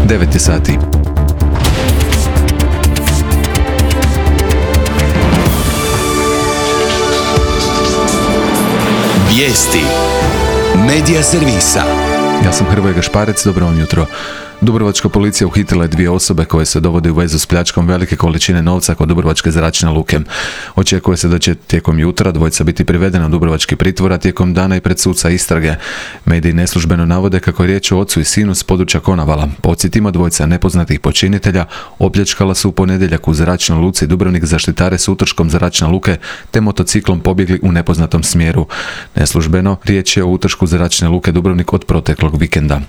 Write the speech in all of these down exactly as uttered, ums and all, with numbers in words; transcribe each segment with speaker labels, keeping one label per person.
Speaker 1: devet je sati.
Speaker 2: Vijesti Medija servisa.
Speaker 1: Ja sam Hrvoje Gašparec, dobro vam jutro. Dubrovačka policija uhitila je dvije osobe koje se dovode u vezu s pljačkom velike količine novca kod Dubrovačke zračne luke. Očekuje se da će tijekom jutra dvojica biti privedena u dubrovački pritvor, a tijekom dana i pred suca istrage. Mediji neslužbeno navode kako je riječ o ocu i sinu s područja Konavala. Podsjetimo, dvojica nepoznatih počinitelja opljačkala su u ponedjeljak u zračnoj luci Dubrovnik zaštitare s utrškom zračne luke te motociklom pobjegli u nepoznatom smjeru. Neslužbeno riječ je o utršku zračne luke Dubrovnik od proteklog vikenda.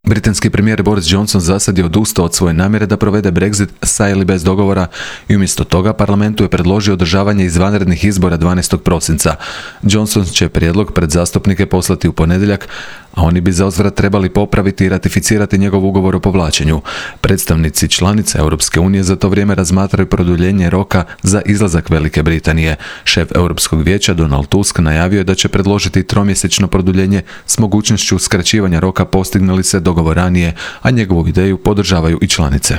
Speaker 1: Britanski premijer Boris Johnson zasad je odustao od svoje namjere da provede Brexit sa ili bez dogovora i umjesto toga parlamentu je predložio održavanje izvanrednih izbora dvanaestog prosinca. Johnson će prijedlog pred zastupnike poslati u ponedjeljak, a oni bi zauzvrat trebali popraviti i ratificirati njegov ugovor o povlačenju. Predstavnici članica Europske unije za to vrijeme razmatraju produljenje roka za izlazak Velike Britanije. Šef Europskog vijeća Donald Tusk najavio je da će predložiti tromjesečno produljenje s mogućnošću skraćivanja roka postigne li se dogovor ranije, a njegovu ideju podržavaju i članice.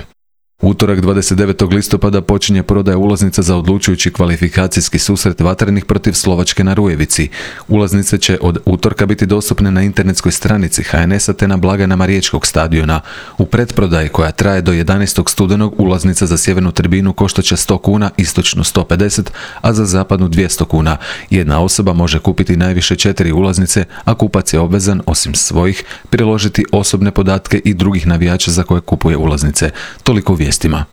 Speaker 1: Utorak dvadeset devetog listopada počinje prodaja ulaznica za odlučujući kvalifikacijski susret Vatrenih protiv Slovačke na Rujevici. Ulaznice će od utorka biti dostupne na internetskoj stranici H N S-a te na blagajnama Riječkog stadiona. U pretprodaji koja traje do jedanaestog studenog ulaznica za sjevernu tribinu koštat će sto kuna, istočnu sto pedeset, a za zapadnu dvjesto kuna. Jedna osoba može kupiti najviše četiri ulaznice, a kupac je obvezan, osim svojih, priložiti osobne podatke i drugih navijača za koje kupuje ulaznice. Toliko vijestima.